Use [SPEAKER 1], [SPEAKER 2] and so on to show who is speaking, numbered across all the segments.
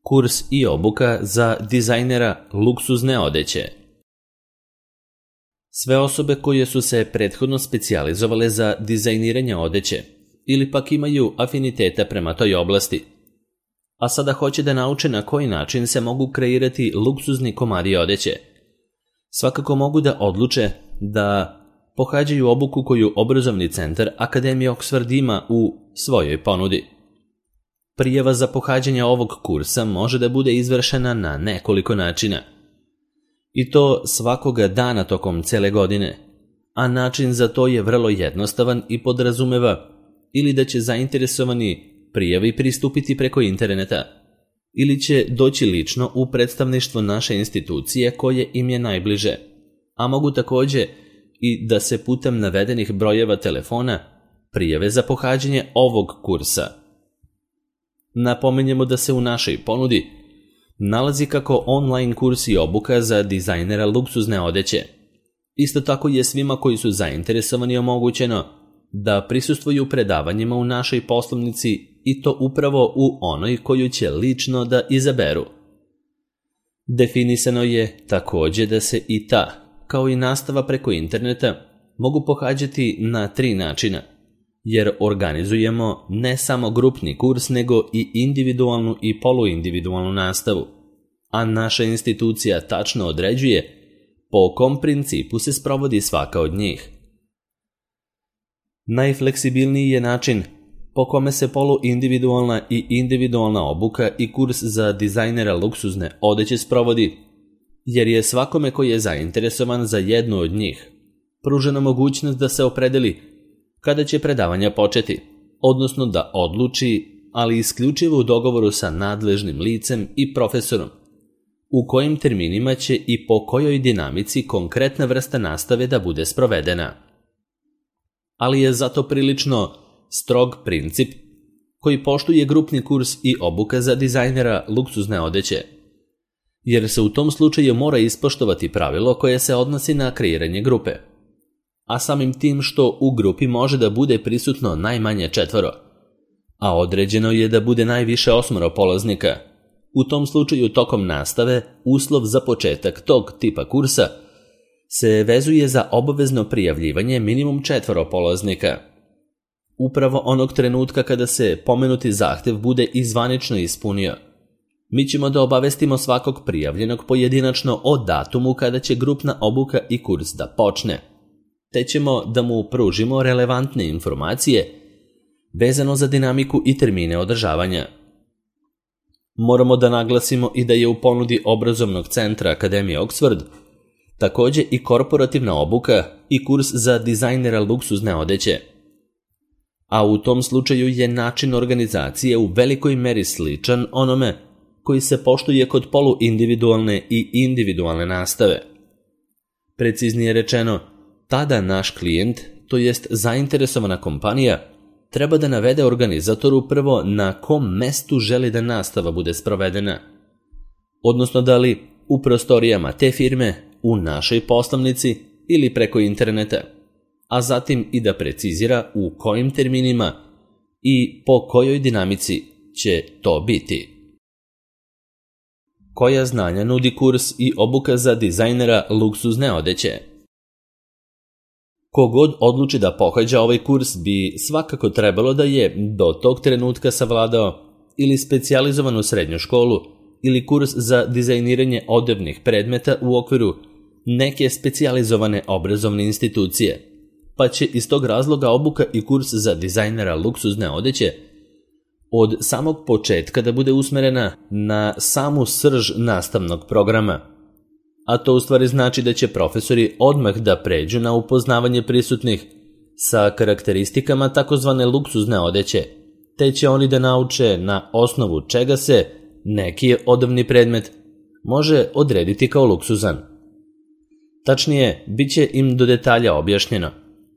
[SPEAKER 1] Kurs i obuka za dizajnera luksuzne odeće. Sve osobe koje su se prethodno specijalizovale za dizajniranje odeće ili pak imaju afiniteta prema toj oblasti, a sada hoće da nauče na koji način se mogu kreirati luksuzni komadi odeće, svakako mogu da odluče da pohađaju obuku koju obrazovni centar Akademije Oxford ima u svojoj ponudi. Prijava za pohađanje ovog kursa može da bude izvršena na nekoliko načina, i to svakoga dana tokom cele godine, a način za to je vrlo jednostavan i podrazumeva ili da će zainteresovani prijavi pristupiti preko interneta, ili će doći lično u predstavništvo naše institucije koje im je najbliže, a mogu takođe i da se putem navedenih brojeva telefona prijave za pohađanje ovog kursa. Napominjemo da se u našoj ponudi nalazi kako online kurs i obuka za dizajnera luksuzne odeće. Isto tako je svima koji su zainteresovani omogućeno da prisustvuju predavanjima u našoj poslovnici i to upravo u onoj koju će lično da izaberu. Definisano je takođe da se i ta, kao i nastava preko interneta, mogu pohađati na 3 načina, jer organizujemo ne samo grupni kurs, nego i individualnu i poluindividualnu nastavu, a naša institucija tačno određuje po kom principu se sprovodi svaka od njih. Najfleksibilniji je način po kome se poluindividualna i individualna obuka i kurs za dizajnera luksuzne odeće sprovodi, jer je svakome koji je zainteresovan za jednu od njih pružena mogućnost da se opredeli kada će predavanja početi, odnosno da odluči, ali isključivo u dogovoru sa nadležnim licem i profesorom, u kojim terminima će i po kojoj dinamici konkretna vrsta nastave da bude sprovedena. Ali je zato prilično strog princip koji poštuje grupni kurs i obuka za dizajnera luksuzne odeće, jer se u tom slučaju mora ispoštovati pravilo koje se odnosi na kreiranje grupe, a samim tim što u grupi može da bude prisutno najmanje 4, a određeno je da bude najviše 8 polaznika. U tom slučaju tokom nastave uslov za početak tog tipa kursa se vezuje za obavezno prijavljivanje minimum 4 polaznika. Upravo onog trenutka kada se pomenuti zahtev bude i zvanično ispunio, mi ćemo da obavestimo svakog prijavljenog pojedinačno o datumu kada će grupna obuka i kurs da počne, te ćemo da mu pružimo relevantne informacije vezano za dinamiku i termine održavanja. Moramo da naglasimo i da je u ponudi obrazovnog centra Akademije Oxford takođe i korporativna obuka i kurs za dizajnera luksuzne odeće, a u tom slučaju je način organizacije u velikoj meri sličan onome koji se poštuje kod poluindividualne i individualne nastave. Preciznije rečeno, tada naš klijent, to jest zainteresovana kompanija, treba da navede organizatoru prvo na kom mestu želi da nastava bude sprovedena, odnosno da li u prostorijama te firme, u našoj poslovnici ili preko interneta, a zatim i da precizira u kojim terminima i po kojoj dinamici će to biti. Koja znanja nudi kurs i obuka za dizajnera luksuzne odeće? Kogod odluči da pohađa ovaj kurs bi svakako trebalo da je do tog trenutka savladao ili specijalizovanu srednju školu ili kurs za dizajniranje odevnih predmeta u okviru neke specijalizovane obrazovne institucije, pa će iz tog razloga obuka i kurs za dizajnera luksuzne odeće od samog početka da bude usmerena na samu srž nastavnog programa, a to u stvari znači da će profesori odmah da pređu na upoznavanje prisutnih sa karakteristikama takozvane luksuzne odeće, te će oni da nauče na osnovu čega se neki odevni predmet može odrediti kao luksuzan. Tačnije, bit će im do detalja objašnjeno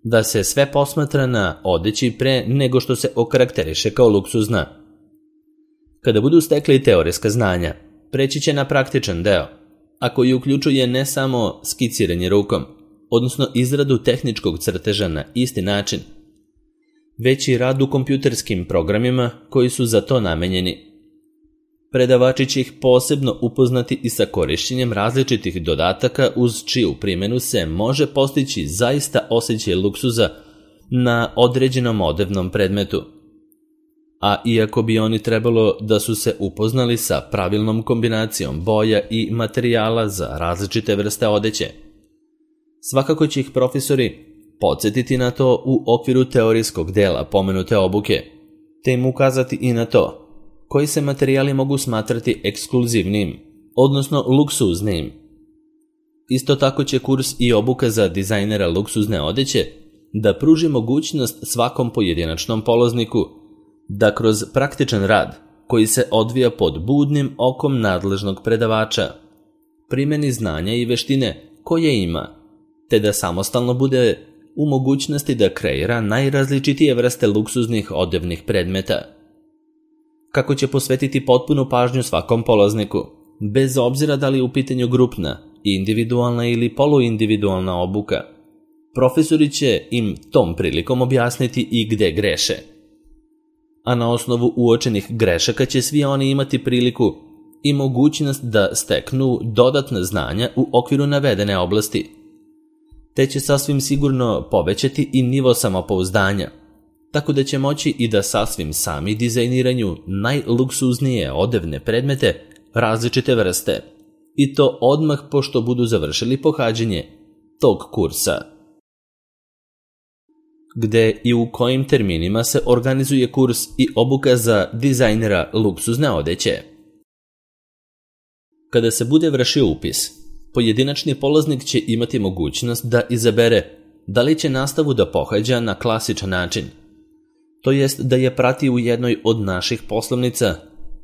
[SPEAKER 1] da se sve posmatra na odeći pre nego što se okarakteriše kao luksuzna. Kada budu stekli teorijska znanja, preći će na praktičan deo, a koji uključuje ne samo skiciranje rukom, odnosno izradu tehničkog crteža na isti način, već i rad u kompjuterskim programima koji su za to namenjeni. Predavači će ih posebno upoznati i sa korišćenjem različitih dodataka uz čiju primjenu se može postići zaista osjećaj luksuza na određenom odevnom predmetu. A iako bi oni trebalo da su se upoznali sa pravilnom kombinacijom boja i materijala za različite vrste odeće, svakako će ih profesori podsjetiti na to u okviru teorijskog dela pomenute obuke, te im ukazati i na to koji se materijali mogu smatrati ekskluzivnim, odnosno luksuznim. Isto tako će kurs i obuka za dizajnera luksuzne odeće da pruži mogućnost svakom pojedinačnom polazniku da kroz praktičan rad koji se odvija pod budnim okom nadležnog predavača primjeni znanja i veštine koje ima, te da samostalno bude u mogućnosti da kreira najrazličitije vrste luksuznih odevnih predmeta. Kako će posvetiti potpunu pažnju svakom polazniku, bez obzira da li je u pitanju grupna, individualna ili poluindividualna obuka. Profesori će im tom prilikom objasniti i gde greše. A na osnovu uočenih grešaka će svi oni imati priliku i mogućnost da steknu dodatna znanja u okviru navedene oblasti, te će sasvim sigurno povećati i nivo samopouzdanja, tako da će moći i da sasvim sami dizajniraju najluksuznije odevne predmete različite vrste, i to odmah pošto budu završili pohađanje tog kursa. Gde i u kojim terminima se organizuje kurs i obuka za dizajnera luksuzne odeće? Kada se bude vršio upis, pojedinačni polaznik će imati mogućnost da izabere da li će nastavu da pohađa na klasičan način, to jest da je prati u jednoj od naših poslovnica,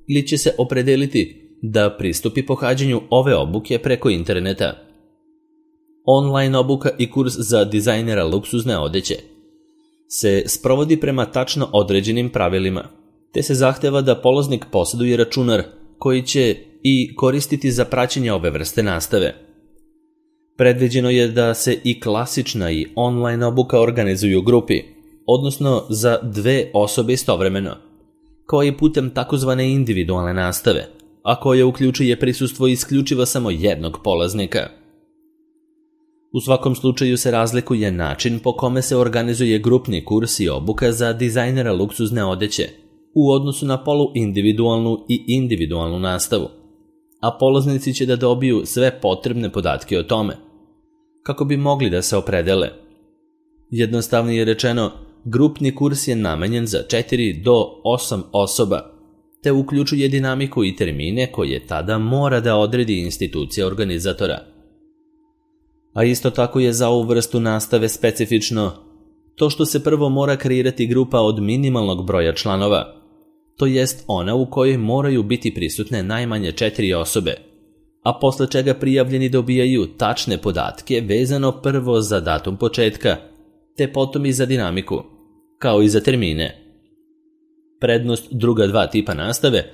[SPEAKER 1] ili će se opredeliti da pristupi pohađanju ove obuke preko interneta. Online obuka i kurs za dizajnera luksuzne odeće se sprovodi prema tačno određenim pravilima, te se zahteva da polaznik posjeduje računar koji će i koristiti za praćenje ove vrste nastave. Predviđeno je da se i klasična i online obuka organizuju u grupi, odnosno za 2 osobe istovremeno, kao i putem takozvane individualne nastave, a koja uključuje prisustvo isključivo samo jednog polaznika. U svakom slučaju se razlikuje način po kome se organizuje grupni kurs i obuka za dizajnera luksuzne odeće u odnosu na poluindividualnu i individualnu nastavu, a polaznici će da dobiju sve potrebne podatke o tome, kako bi mogli da se opredele. Jednostavnije rečeno, grupni kurs je namenjen za 4 do 8 osoba, te uključuje dinamiku i termine koje tada mora da odredi institucija organizatora. A isto tako je za ovu vrstu nastave specifično to što se prvo mora kreirati grupa od minimalnog broja članova, to jest ona u kojoj moraju biti prisutne najmanje 4 osobe, a posle čega prijavljeni dobijaju tačne podatke vezano prvo za datum početka, te potom i za dinamiku, kao i za termine. Prednost druga 2 tipa nastave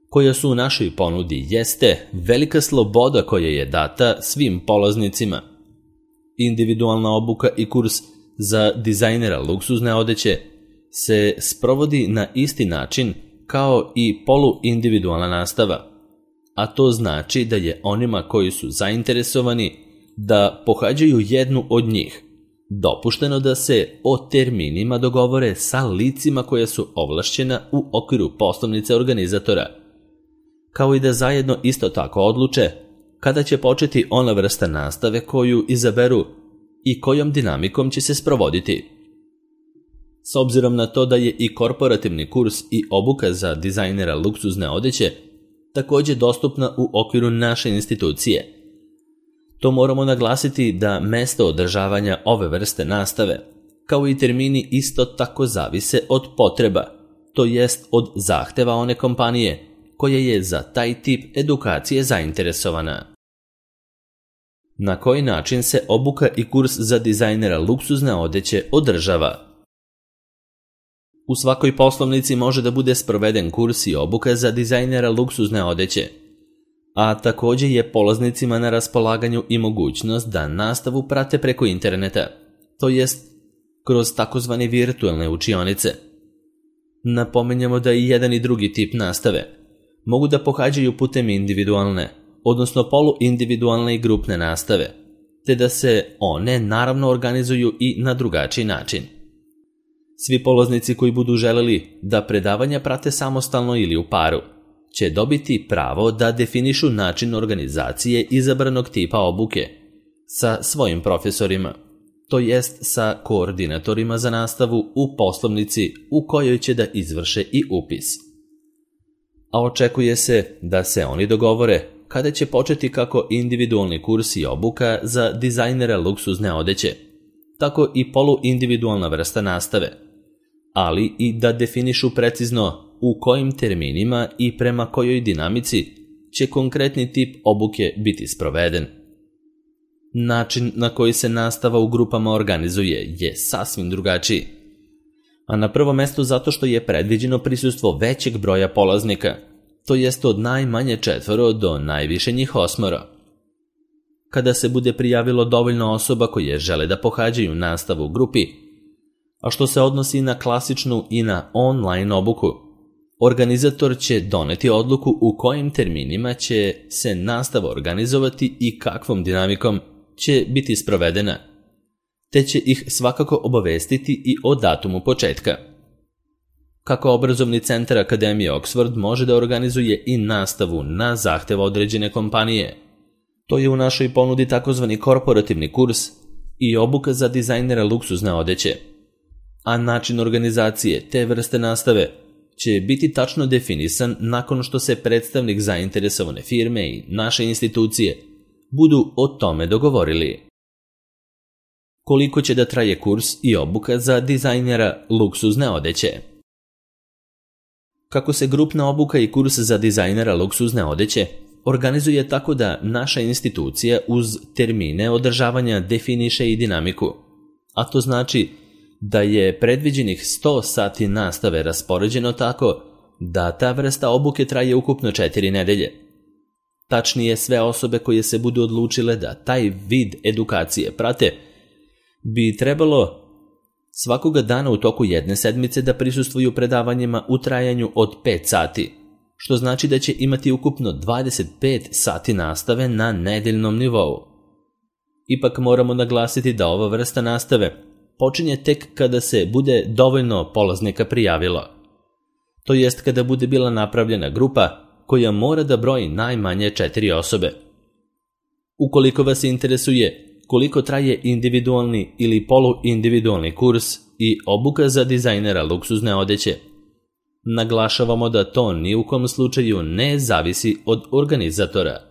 [SPEAKER 1] koja su u našoj ponudi jeste velika sloboda koja je data svim polaznicima. Individualna obuka i kurs za dizajnera luksuzne odeće se sprovodi na isti način kao i poluindividualna nastava, a to znači da je onima koji su zainteresovani da pohađaju jednu od njih dopušteno da se o terminima dogovore sa licima koja su ovlašćena u okviru poslovnice organizatora, kao i da zajedno isto tako odluče kada će početi ona vrsta nastave koju izaberu i kojom dinamikom će se sprovoditi. S obzirom na to da je i korporativni kurs i obuka za dizajnera luksuzne odeće također dostupna u okviru naše institucije, to moramo naglasiti da mesto održavanja ove vrste nastave, kao i termini, isto tako zavise od potreba, to jest od zahteva one kompanije koja je za taj tip edukacije zainteresovana. Na koji način se obuka i kurs za dizajnera luksuzne odeće održava? U svakoj poslovnici može da bude sproveden kurs i obuka za dizajnera luksuzne odeće, a također je polaznicima na raspolaganju i mogućnost da nastavu prate preko interneta, to jest kroz takozvane virtualne učionice. Napominjemo da i jedan i drugi tip nastave mogu da pohađaju putem individualne, odnosno poluindividualne i grupne nastave, te da se one naravno organizuju i na drugačiji način. Svi polaznici koji budu želeli da predavanja prate samostalno ili u paru, će dobiti pravo da definišu način organizacije izabranog tipa obuke sa svojim profesorima, to jest sa koordinatorima za nastavu u poslovnici u kojoj će da izvrše i upis. A očekuje se da se oni dogovore kada će početi kako individualni kurs i obuka za dizajnera luksuzne odeće, tako i poluindividualna vrsta nastave, ali i da definišu precizno u kojim terminima i prema kojoj dinamici će konkretni tip obuke biti sproveden. Način na koji se nastava u grupama organizuje je sasvim drugačiji, a na prvo mesto zato što je predviđeno prisustvo većeg broja polaznika, to jest od najmanje 4 do najviše njih 8. Kada se bude prijavilo dovoljno osoba koje žele da pohađaju nastavu u grupi, a što se odnosi na klasičnu i na online obuku, organizator će doneti odluku u kojim terminima će se nastava organizovati i kakvom dinamikom će biti sprovedena, te će ih svakako obavestiti i o datumu početka. Kako obrazovni centar Akademije Oxford može da organizuje i nastavu na zahtev određene kompanije, to je u našoj ponudi takozvani korporativni kurs i obuka za dizajnera luksuzne odeće, a način organizacije te vrste nastave će biti tačno definisan nakon što se predstavnik zainteresovane firme i naše institucije budu o tome dogovorili. Koliko će da traje kurs i obuka za dizajnera luksuzne odeće? Kako se grupna obuka i kurs za dizajnera luksuzne odeće organizuje tako da naša institucija uz termine održavanja definiše i dinamiku, a to znači da je predviđenih 100 sati nastave raspoređeno tako da ta vrsta obuke traje ukupno 4 nedelje. Tačnije, sve osobe koje se budu odlučile da taj vid edukacije prate, bi trebalo svakoga dana u toku jedne sedmice da prisustvuju predavanjima u trajanju od 5 sati, što znači da će imati ukupno 25 sati nastave na nedeljnom nivou. Ipak moramo naglasiti da ova vrsta nastave počinje tek kada se bude dovoljno polaznika prijavilo, to jest kada bude bila napravljena grupa koja mora da broji najmanje 4 osobe. Ukoliko vas interesuje koliko traje individualni ili poluindividualni kurs i obuka za dizajnera luksuzne odeće, naglašavamo da to ni u kom slučaju ne zavisi od organizatora.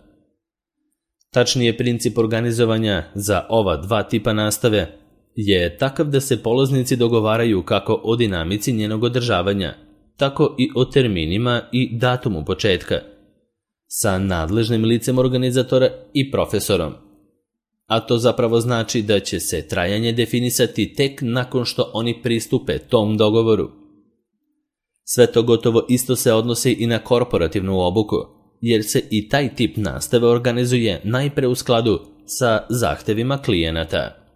[SPEAKER 1] Tačnije, princip organizovanja za ova dva tipa nastave je takav da se polaznici dogovaraju kako o dinamici njenog održavanja, tako i o terminima i datumu početka, sa nadležnim licem organizatora i profesorom. A to zapravo znači da će se trajanje definisati tek nakon što oni pristupe tom dogovoru. Sve to gotovo isto se odnosi i na korporativnu obuku, jer se i taj tip nastave organizuje najpre u skladu sa zahtevima klijenata.